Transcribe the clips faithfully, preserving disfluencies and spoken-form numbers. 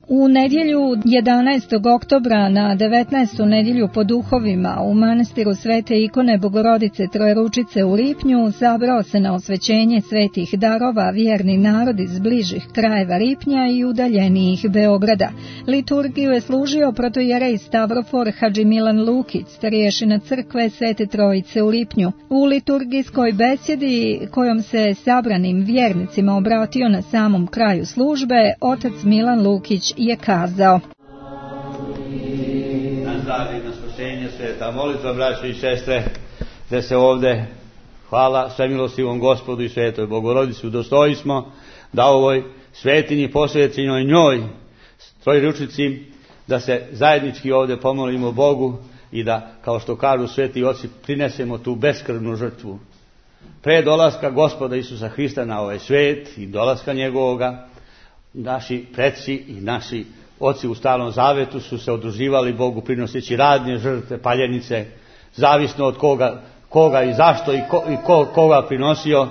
U nedjelju jedanaestog oktobra na devetnaestu nedjelju po duhovima u manastiru Svete ikone Bogorodice Trojeručice u Lipnju sabrao se na osvećenje svetih darova vjerni narod iz bližih krajeva Lipnja i udaljenijih Beograda. Liturgiju je služio protojerej Stavrofor Hadži Milan Lukić, starješina crkve Svete Trojice u Lipnju. U liturgijskoj besjedi kojom se sabranim vjernicima obratio na samom kraju službe, otac Milan Lukić je kazao: Na zdravlje, na spasenje, sveta molitva, braćo i sestre, da se ovde, hvala svemilostivom Gospodu i Svetoj Bogorodici, udostoji smo da ovoj svetinji posvećenoj njoj, Trojeručici, da se zajednički ovde pomolimo Bogu i da, kao što kažu sveti oci, prinesemo tu beskrvnu žrtvu. Pre dolaska Gospoda Isusa Hrista na ovaj svet i dolaska njegovoga, naši preci i naši oci u Starom Zavetu su se udruživali Bogu prinoseći radne žrtve, paljenice, zavisno od koga, koga i zašto i, ko, i ko, koga prinosio.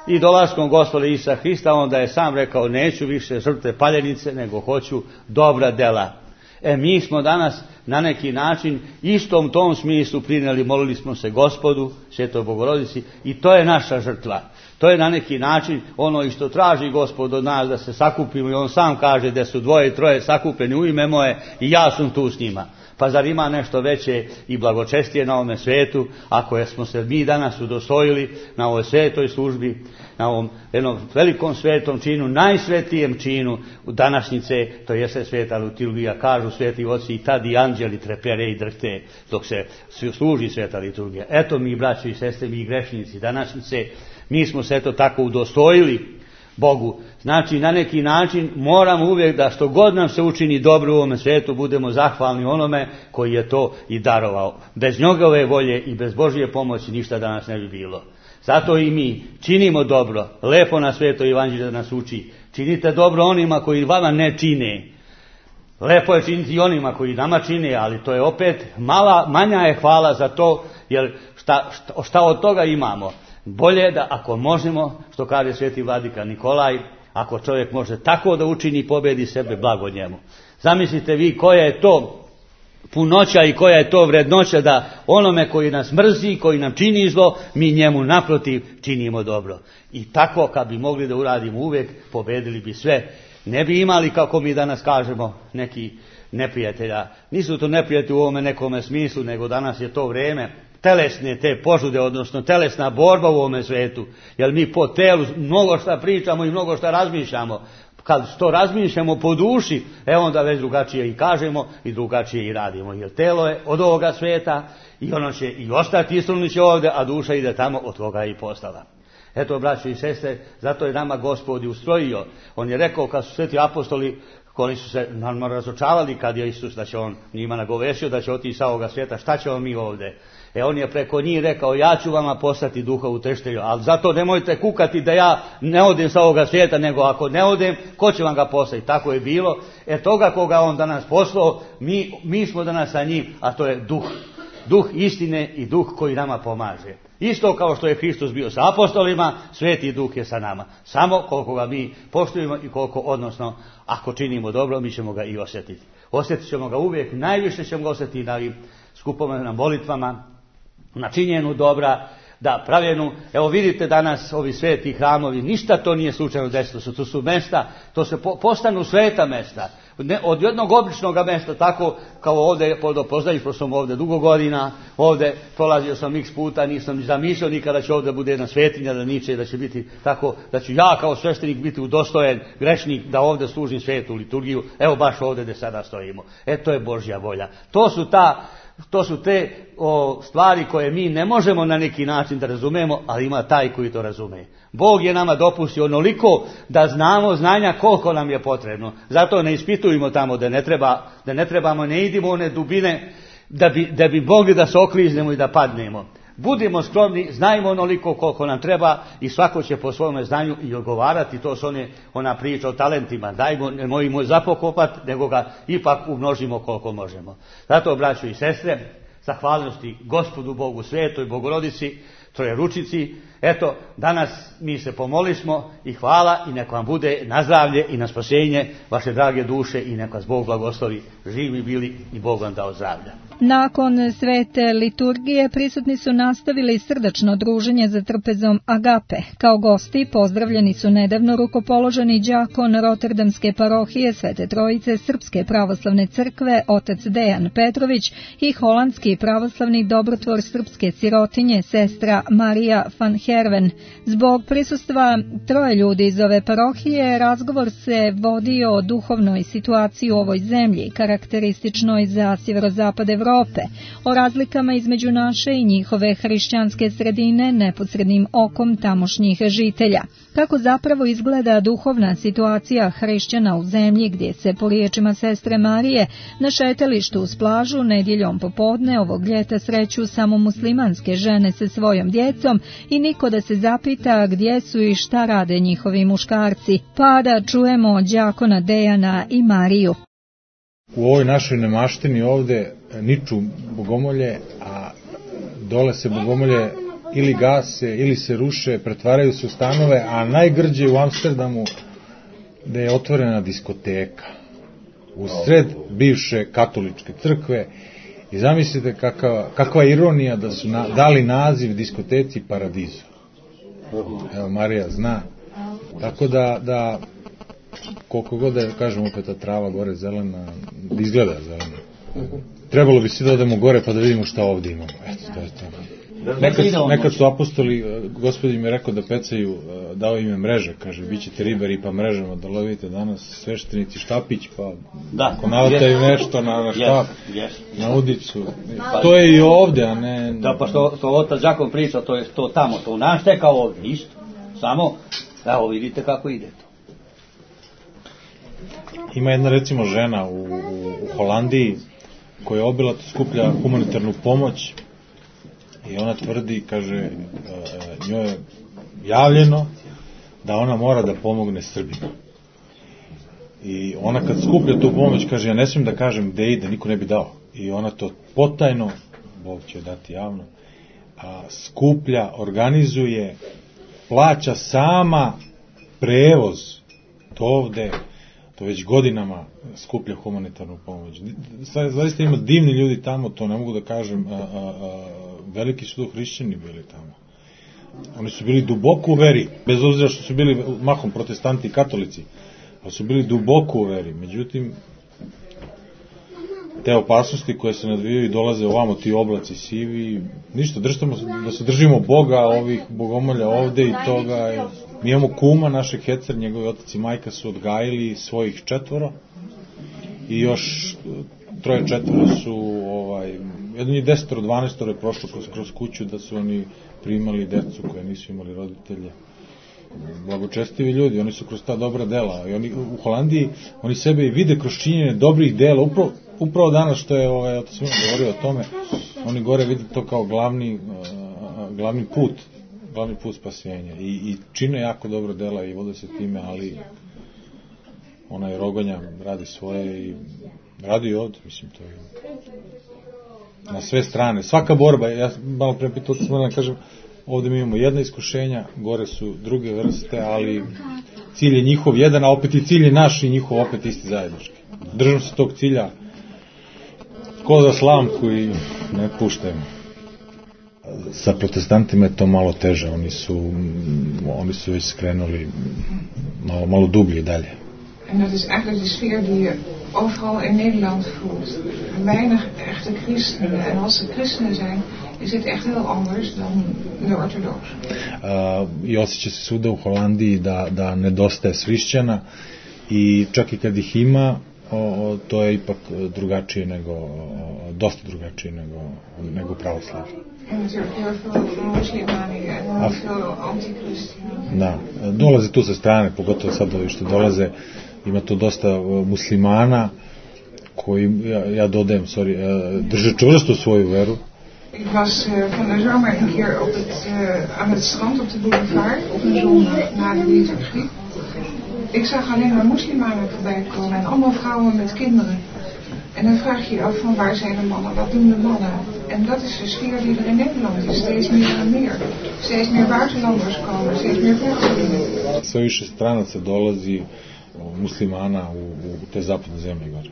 I dolaskom Gospoda Isusa Hrista onda je sam rekao: neću više žrtve paljenice, nego hoću dobra dela. E mi smo danas na neki način istom tom smislu prinijeli, molili smo se Gospodu, Svetoj Bogorodici, i to je naša žrtva. To je na neki način ono i što traži Gospod od nas, da se sakupimo, i on sam kaže da su dvoje i troje sakupljeni u ime moje i ja sam tu s njima. Pa zar ima nešto veće i blagočestije na ovome svetu, ako smo se mi danas udostojili na ovoj svetoj službi, na ovom jednom velikom svetom činu, najsvetijem činu u današnjice, to jeste sveta liturgija, kažu sveti oci, i tad i anđeli trepere i drhte dok se služi sveta liturgija. Eto mi, braći i sestre, mi grešnici današnjice, mi smo se eto tako udostojili Bogu. Znači, na neki način moramo uvijek da što god nam se učini dobro u ovome svijetu, budemo zahvalni onome koji je to i darovao. Bez njegove volje i bez Božje pomoći ništa danas ne bi bilo. Zato i mi činimo dobro. Lepo na Sveto Evanđelje da nas uči: činite dobro onima koji vama ne čine. Lepo je činiti i onima koji nama čine, ali to je opet mala, manja je hvala za to, jer šta, šta, šta od toga imamo? Bolje je da, ako možemo, što kaže sveti vladika Nikolaj, ako čovjek može tako da učini, pobjedi sebe, blago njemu. Zamislite vi koja je to punoća i koja je to vrednoća da onome koji nas mrzi, koji nam čini zlo, mi njemu naprotiv činimo dobro. I tako kad bi mogli da uradimo uvijek, pobjedili bi sve. Ne bi imali, kako mi danas kažemo, neki neprijatelja. Nisu to neprijatelji u ovome nekome smislu, nego danas je to vrijeme telesne te požude, odnosno telesna borba u ovome svetu. Jer mi po telu mnogo šta pričamo i mnogo šta razmišljamo. Kad to razmišljamo po duši, e onda već drugačije i kažemo i drugačije i radimo. Jer telo je od ovoga svijeta i ono će i ostati istruniće ovdje, a duša ide tamo, od toga je i postala. Eto, braćo i sestre, zato je nama Gospod ustrojio. On je rekao, kad su sveti apostoli, koji su se naravno razočarali kad je Isus, da će on njima nagovešio da će otići sa ovoga svijeta, šta ćemo mi ovdje? E on je preko njih rekao: ja ću vama poslati duha uteštelja, ali zato nemojte kukati da ja ne odem sa ovoga svijeta, nego ako ne odem, ko će vam ga poslati? Tako je bilo. E toga koga on danas poslao, mi, mi smo danas sa njim, a to je duh. Duh istine i duh koji nama pomaže. Isto kao što je Hristos bio sa apostolima, Sveti Duh je sa nama. Samo koliko ga mi poštujemo i koliko, odnosno, ako činimo dobro, mi ćemo ga i osjetiti. Osjetit ćemo ga uvijek, najviše ćemo ga osjetiti na skupovima, na molitvama, na činjenju dobra, da pravljenu. Evo vidite danas ovi sveti hramovi, ništa to nije slučajno desilo, to su mesta, to se po, postanu sveta mesta. Ne, od jednog običnog mesta, tako kao ovdje, poznajući, pošto sam ovdje dugo godina, ovdje prolazio sam x puta, nisam ni zamišljao nikada da će ovdje bude jedna svetinja, da niče, da će biti tako, da ću ja kao sveštenik biti udostojen, grešnik, da ovdje služim svetu liturgiju, evo baš ovdje gdje sada stojimo. E to je Božja volja. To su ta To su te o, stvari koje mi ne možemo na neki način da razumemo, ali ima taj koji to razume. Bog je nama dopustio onoliko da znamo znanja koliko nam je potrebno. Zato ne ispitujemo tamo da ne treba, da ne trebamo, ne idimo one dubine da bi, da bi mogli da se okliznemo i da padnemo. Budimo skromni, znajmo onoliko koliko nam treba i svako će po svome znanju i odgovarati. To su one, ona priča o talentima. Dajmo, ne mojimo zapokopati, nego ga ipak umnožimo koliko možemo. Zato, braćo i sestre, zahvalnosti Gospodu Bogu Svetoj Bogorodici, Trojeručici. Eto, danas mi se pomolismo i hvala i nek vam bude na zdravlje i na spasenje vaše drage duše i nek vas Bog blagoslovi. Živi bili i Bog vam dao zdravlja. Nakon svete liturgije prisutni su nastavili srdačno druženje za trpezom Agape. Kao gosti pozdravljeni su nedavno rukopoloženi đakon Roterdamske parohije Svete Trojice Srpske pravoslavne crkve otac Dejan Petrović i holandski pravoslavni dobrotvor srpske sirotinje sestra Marija van Herven. Zbog prisustva troje ljudi iz ove parohije razgovor se vodio o duhovnoj situaciji u ovoj zemlji, karakterističnoj za sjeverozapad Evrope, o razlikama između naše i njihove hrišćanske sredine neposrednim okom tamošnjih žitelja. Kako zapravo izgleda duhovna situacija hrišćana u zemlji gdje se, po riječima sestre Marije, na šetalištu uz plažu nedjeljom popodne ovog ljeta sreću samo muslimanske žene sa svojom djecom i niko da se zapita gdje su i šta rade njihovi muškarci. Pa da čujemo đakona Dejana i Mariju. U ovoj našoj nemaštini ovde niču bogomolje, a dole se bogomolje ili gase, ili se ruše, pretvaraju se u stanove, a najgrđe u Amsterdamu da je otvorena diskoteka u sred bivše katoličke crkve i zamislite kakva, kakva ironija da su na, dali naziv diskoteci Paradizo. Evo, Marija zna. Tako da, da koliko god da kažemo opet ta trava gore zelena, izgleda zelena. Trebalo bi svi da odemo gore pa da vidimo šta ovdje imamo. Eto, to je to. Nekad, nekad su apostoli, gospodin mi je rekao da pecaju, dao im je mreže, kaže, bit ćete ribari pa mrežama da lovite danas, sveštenici štapić, pa da, ako navataju nešto na, na štap, yes, yes. na udicu. To je i ovdje, a ne... Da, pa što, što otac Đakon priča, to je to tamo, to u nas te kao ovdje, isto. Samo, evo vidite kako ide to. Ima jedna recimo žena u, u, u Holandiji koja obilato skuplja humanitarnu pomoć i ona tvrdi, kaže, njoj je javljeno da ona mora da pomogne Srbima. I ona kad skuplja tu pomoć, kaže, ja ne smijem da kažem gde ide, niko ne bi dao. I ona to potajno, Bog će dati javno, a skuplja, organizuje, plaća sama prevoz do ovde, to već godinama skuplja humanitarnu pomoć. Zaista ima divni ljudi tamo, to ne mogu da kažem, a, a, a, veliki su to hrišćani bili tamo. Oni su bili duboko u veri, bez obzira što su bili mahom protestanti i katolici, ali su bili duboko u veri. Međutim, te opasnosti koje se nadvijaju i dolaze ovamo, ti oblaci sivi, ništa, držimo, da se držimo Boga, ovih bogomolja ovde i toga. Mi imamo kuma, naše Hecer, njegovi otac i majka su odgajili svojih četvoro i još troje četvoro su, ovaj, jedan je desetoro, dvanaestoro je prošlo kroz, kroz kuću da su oni primali decu koje nisu imali roditelje. Blagočestivi ljudi, oni su kroz ta dobra dela. I oni, u Holandiji, oni sebe vide kroz činjenje dobrih dela. Upravo, upravo danas što je ovaj, otac Svima govorio o tome, oni gore vide to kao glavni, uh, glavni put, glavni put spasenja. I, i čine jako dobro dela i vode se time, ali onaj Rogonja radi svoje i radi i ovdje, mislim, to je na sve strane. Svaka borba, ja malo pre pitao, otac Svima da kažem, ovdje mi imamo jedna iskušenja, gore su druge vrste, ali cilj je njihov jedan, a opet i cilj je naš i njihov opet isti zajednički. Držimo se tog cilja ko za slamku i ne puštajmo. Sa protestantima je to malo teže, oni su, oni su već skrenuli malo, malo dublje dalje. En dat is eigenlijk de sfeer die je overal in Nederland voelt. Weinig echte christenen. En als ze christenen zijn, is het echt heel anders dan de orthodoxe. Uh, I osjeća se svuda u Holandiji da, da nedostaje hrišćana i čak i kad ih ima, o, o, to je ipak drugačije nego, o, dosta drugačije nego, nego pravoslavlje. En natuurlijk heel veel moslimanen en heel veel antichristenen. Da, dolaze tu sa strane, pogotovo sad ovi što dolaze, ima tu dosta muslimana koji, ja, ja dodajem, sorry, drže čvrsto svoju veru. Ik was uh, van de zomer een keer op het, uh, aan het strand op de boulevard op een zondag na de liturgie. Ik zag alleen maar moslimanen voorbij komen en allemaal vrouwen met kinderen. En dan vraag je je af van waar zijn de mannen, wat doen de mannen? En dat is de sfeer die er in Nederland is, steeds meer en meer. Steeds meer buitenlanders komen, steeds meer vluchtelingen. Sve više stranaca dolazi, muslimana u, u te zapadne zemlje gore.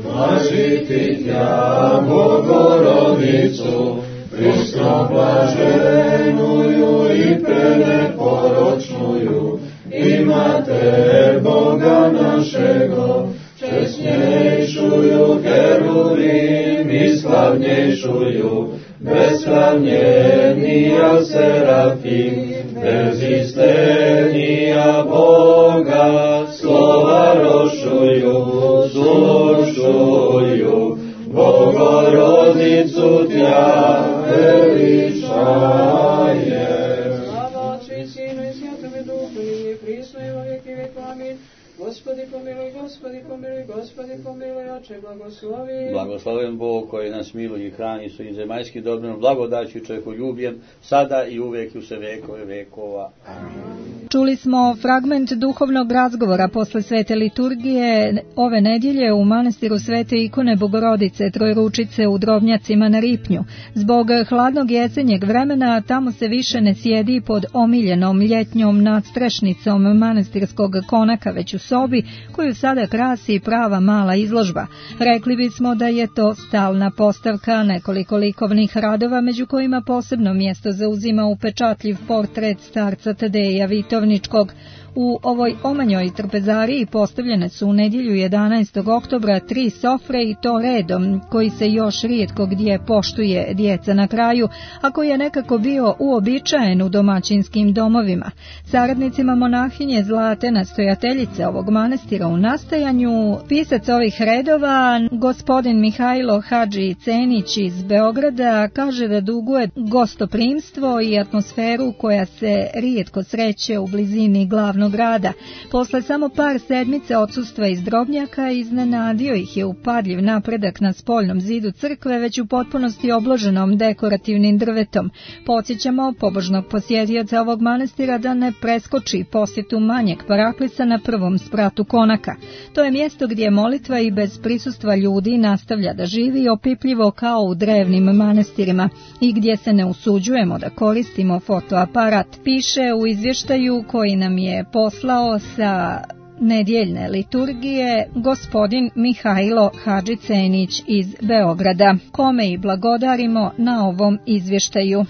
Blažiti tja, Bogorodicu, prisno blaženuju i preporočnuju, imate Boga našego, česnjejšuju heruvim i slavnjejšuju, beslavnjenija serafim, bezistenija Boga, slova rošuju, slušuju, Bogorodicu tja veličaje. Slava Otcu i Sinu i Svetome Duhu, i prisno i во веки веков. Амин. Gospodi pomiluj, Gospodi pomiluj, Gospodi pomiluj, Oče blagoslovi. Blagosloven Bog koji nas miluje i hrani svojim zemaljskim dobrom, blagodaću i čovjekoljubljem, sada i uvijek i u sve vekove vekova. Amin. Čuli smo fragment duhovnog razgovora posle svete liturgije ove nedjelje u manastiru Svete ikone Bogorodice Trojručice u Drobnjacima na Ripnju. Zbog hladnog jesenjeg vremena tamo se više ne sjedi pod omiljenom ljetnjom nadstrešnicom manastirskog konaka, već u sobi koju sada krasi prava mala izložba. Rekli bismo da je to stalna postavka nekoliko likovnih radova, među kojima posebno mjesto zauzima upečatljiv portret starca Tadeja Vitovničkog. U ovoj omanjoj trpezariji postavljene su u nedjelju jedanaestog oktobra tri sofre i to redom, koji se još rijetko gdje poštuje djeca na kraju, a koji je nekako bio uobičajen u domaćinskim domovima. Saradnicima monahinje Zlate, nastojateljice ovog manastira u nastajanju, pisac ovih redova, gospodin Mihajlo Hadži Cenić iz Beograda, kaže da duguje gostoprimstvo i atmosferu koja se rijetko sreće u blizini glavnog grada. Posle samo par sedmice odsustva iz Drobnjaka iznenadio ih je upadljiv napredak na spoljnom zidu crkve, već u potpunosti obloženom dekorativnim drvetom. Podsjećamo pobožnog posjetioca ovog manastira da ne preskoči posjetu manjeg paraklisa na prvom spratu konaka. To je mjesto gdje molitva i bez prisustva ljudi nastavlja da živi opipljivo kao u drevnim manastirima i gdje se ne usuđujemo da koristimo fotoaparat, piše u izvještaju koji nam je poslao sa nedjeljne liturgije gospodin Mihajlo Hadži Cenić iz Beograda, kome i blagodarimo na ovom izvještaju.